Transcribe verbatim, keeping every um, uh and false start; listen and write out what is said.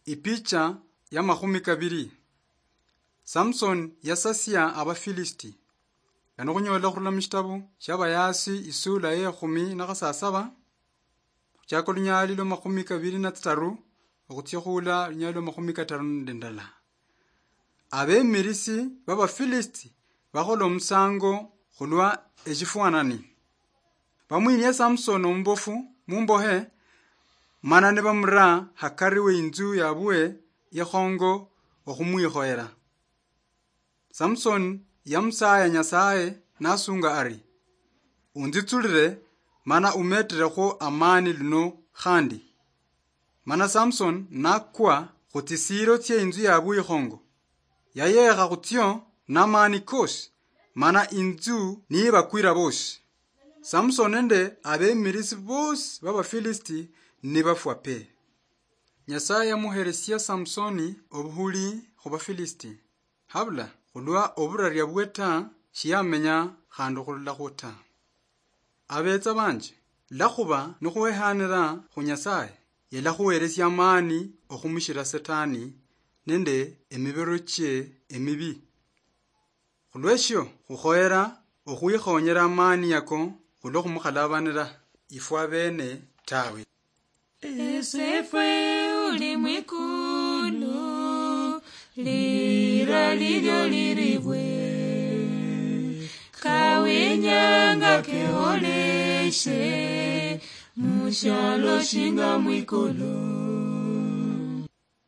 Ipicha ya makhumi kabiri. Samson yasasia Abafilisiti. Kano khunyola khurula mushitabu shia Abayaasi isula ye khumi na khasasaba, khuchaka olunyali lwa makhumi kabiri na tsitaru, okhutsia khula olunyali lwa makhumi kataru nende ndala. Abemirisi b'Abafilisiti bakhola omusango khulwa eshifwanani. Bamwinia Samson omubofu mumbohe, mana nibamura hakari we inzu yabwe ikhongo okhumwikhoyera. Samson yamusaya Nyasaye nasunga ari, "Unzitsulire, mana umeterekhwo amani luno khandi." Mana Samson nakwa khutsisiiro tsie inzu yabwe ikhongo. Yayekha khutsio namani kosi, mana inzu niyibakwira bosi. Samson nende abemirisi bosi b'Abafilisiti nibafwa pe. Nyasaye yamuheresia Samsoni obuhuli khu Bafilisiti. Habula khulwa oburaria bwe ta, shiyamenya khandi okhulolakhwo ta. Abetsa banje, lakhuba nikhuhehanira khu Nyasaye, yalakhuheresia amani okhumushira Setani nende emibiro chie emibi. Khulweshio, khukhoyera okhwikhonyera amani yako khulwo khumukhalabanira ifwe abene tawe. Esefwe uli mwikulu, lira lilyo liribwe, kawinyanga keholeshe, mushalo shinga mwikulu.